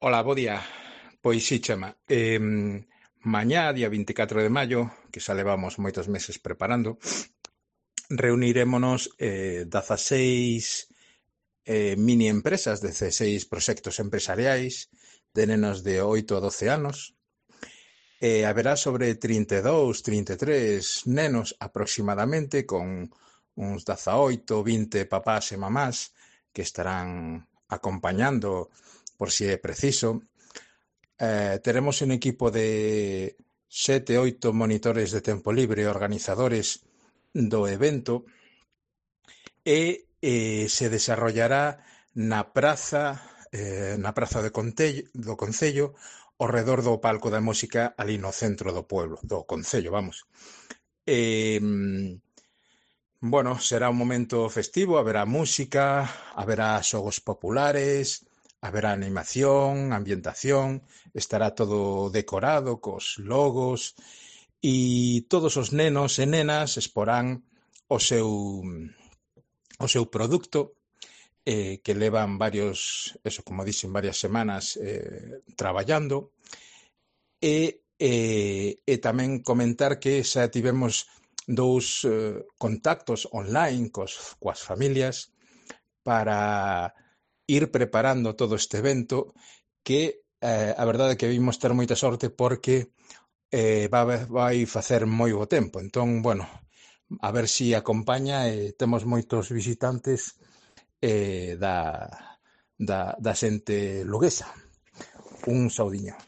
Ola, bo día. Pois sí, Chema. Mañá, día 24 de maio, que xa levamos moitos meses preparando, reunirémonos 16 mini empresas, 16 proxectos empresariais de nenos de 8 a 12 anos. Haberá sobre 32, 33 nenos aproximadamente, con uns 18, 20 papás e mamás que estarán acompañando por si é preciso. Teremos un equipo de 7, 8 monitores de tempo libre, organizadores do evento, e se desarrollará na praza do Concello, ao redor do palco da música ali no centro do pueblo, do Concello, vamos. Eh, bueno, será un momento festivo, haberá música, haberá xogos populares, haberá animación, ambientación, estará todo decorado cos logos e todos os nenos e nenas exporán o seu produto que levan varias semanas traballando e tamén comentar que xa tivemos dous contactos online coas familias para ir preparando todo este evento que a verdade é que vimos ter moita sorte porque vai facer moi bo tempo. Entón, bueno, a ver si acompaña e temos moitos visitantes da xente luguesa. Un saudiño.